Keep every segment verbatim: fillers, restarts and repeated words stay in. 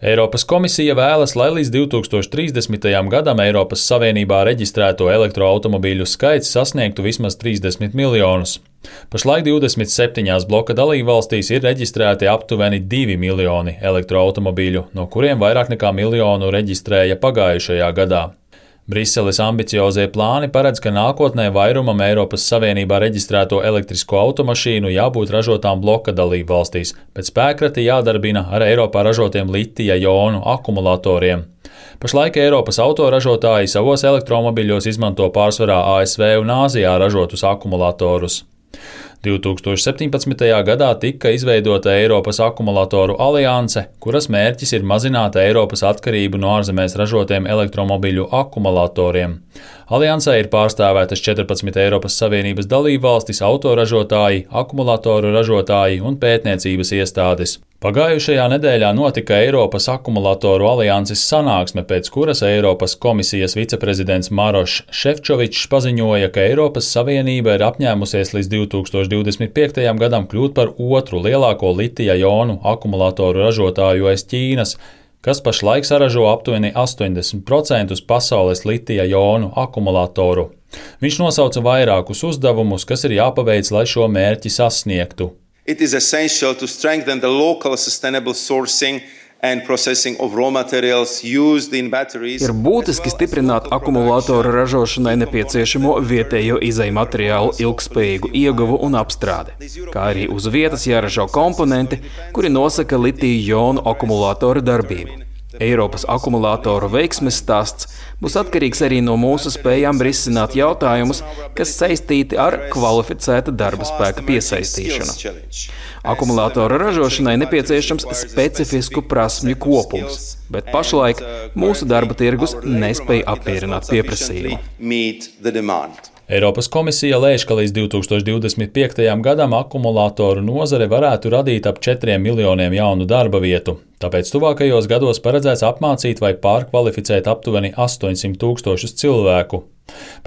Eiropas komisija vēlas, lai līdz divi tūkstoši trīsdesmitajam gadam Eiropas Savienībā reģistrēto elektroautomobīļu skaits sasniegtu vismaz trīsdesmit miljonus. Pašlaik divdesmit septiņās bloka dalībvalstīs ir reģistrēti aptuveni divi miljoni elektroautomobīļu, no kuriem vairāk nekā miljonu reģistrēja pagājušajā gadā. Briseles ambiciozie plāni paredz, ka nākotnē vairumam Eiropas Savienībā reģistrēto elektrisko automašīnu jābūt ražotām bloka dalībvalstīs, bet spēkrati jādarbina ar Eiropā ražotiem litija jonu akumulatoriem. Pašlaik Eiropas autoražotāji savos elektromobiļos izmanto pārsvarā A S V un Āzijā ražotus akumulatorus. divi tūkstoši septiņpadsmitajā gadā tika izveidota Eiropas akumulatoru alianse, kuras mērķis ir mazināt Eiropas atkarību no ārzemēs ražotiem elektromobiļu akumulatoriem. Aliansē ir pārstāvētas četrpadsmit Eiropas Savienības dalībvalstis, autoražotāji, akumulatoru ražotāji un pētniecības iestādes. Pagājušajā nedēļā notika Eiropas akumulatoru alianses sanāksme, pēc kuras Eiropas komisijas viceprezidents Marošs Šefčovičs paziņoja, ka Eiropas Savienība ir apņēmusies līdz divi tūkstoši divdesmit piektajam gadam kļūt par otru lielāko litija jonu akumulatoru ražotāju aiz Ķīnas, kas pašlaik saražo aptuveni astoņdesmit procentus pasaules litija jonu akumulatoru. Viņš nosauca vairākus uzdevumus, kas ir jāpaveic, lai šo mērķi sasniegtu. It is essential to strengthen the local sustainable sourcing and processing of raw materials used in batteries. Ir būtiski stiprināt akumulātoru ražošanai nepieciešamo vietējo izejmateriālu ilgspējīgu ieguvu un apstrādi, kā arī uz vietas jāražo komponenti, kuri nosaka litija jonu akumulātoru darbību. Eiropas akumulātoru veiksmes stāsts būs atkarīgs arī no mūsu spējām risināt jautājumus, kas saistīti ar kvalificēta darba spēka piesaistīšanu. Akumulātoru ražošanai nepieciešams specifisku prasmju kopums, bet pašlaik mūsu darba tirgus nespēj apmierināt pieprasījumu. Eiropas komisija lēš, ka līdz divi tūkstoši divdesmit piektajam gadam akumulātoru nozare varētu radīt ap četriem miljoniem jaunu darba vietu. Tāpēc tuvākajos gados paredzēts apmācīt vai pārkvalificēt aptuveni astoņsimt tūkstošus cilvēku.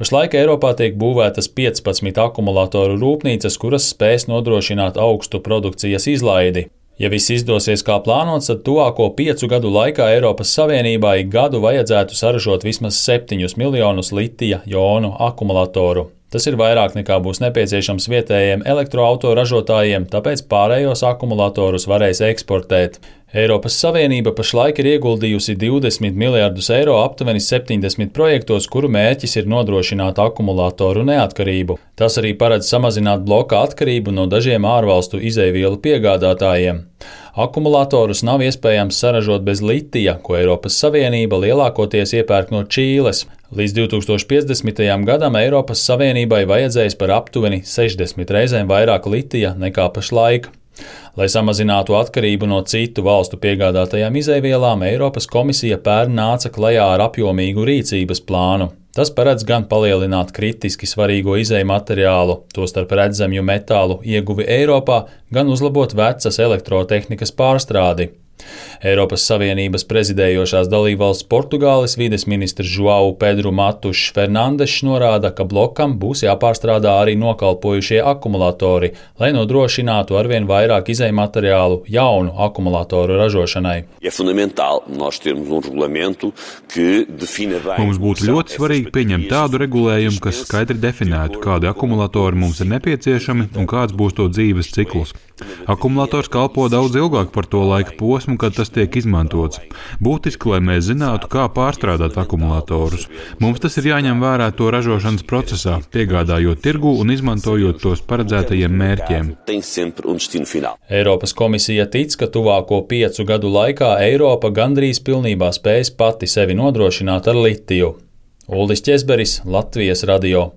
Pašlaik Eiropā tiek būvētas piecpadsmit akumulātoru rūpnīcas, kuras spēs nodrošināt augstu produkcijas izlaidi. Ja viss izdosies kā plānots, tad tuvāko piecu gadu laikā Eiropas Savienībā ik gadu vajadzētu saražot vismaz septiņus miljonus litija jonu akumulatoru. Tas ir vairāk nekā būs nepieciešams vietējiem elektroautoražotājiem, tāpēc pārējos akumulatorus varēs eksportēt. Eiropas Savienība pašlaik ir ieguldījusi divdesmit miljardus eiro aptuveni septiņdesmit projektos, kuru mērķis ir nodrošināt akumulatoru neatkarību. Tas arī paredz samazināt bloka atkarību no dažiem ārvalstu izejvielu piegādātājiem. Akumulatorus nav iespējams saražot bez litija, ko Eiropas Savienība lielākoties iepērk no Čīles. Līdz divi tūkstoši piecdesmitajam gadam Eiropas Savienībai vajadzēs par aptuveni sešdesmit reizēm vairāk litija nekā pašlaik. Lai samazinātu atkarību no citu valstu piegādātajām izejvielām, Eiropas komisija pērn nāca klajā ar apjomīgu rīcības plānu. Tas paredz gan palielināt kritiski svarīgo izejmateriālu, tostarp redzamju metālu ieguvi Eiropā, gan uzlabot vecas elektrotehnikas pārstrādi. Eiropas Savienības prezidējošās dalībvalsts Portugāles vides ministrs João Pedro Matušs Fernandešs norāda, ka blokam būs jāpārstrādā arī nokalpojušie akumulatori, lai nodrošinātu arvien vairāk izejmateriālu jaunu akumulatoru ražošanai. Mums būtu ļoti svarīgi pieņemt tādu regulējumu, kas skaidri definētu, kādi akumulatori mums ir nepieciešami un kāds būs to dzīves cikls. Akumulators kalpo daudz ilgāk par to laika posmu, kad tas tiek izmantots. Būtiski, lai mēs zinātu, kā pārstrādāt akumulatorus. Mums tas ir jāņem vērā to ražošanas procesā, piegādājot tirgu un izmantojot tos paredzētajiem mērķiem. Eiropas komisija tic, ka tuvāko piecu gadu laikā Eiropa gandrīz pilnībā spēs pati sevi nodrošināt ar litiju. Uldis Ķezberis, Latvijas radio.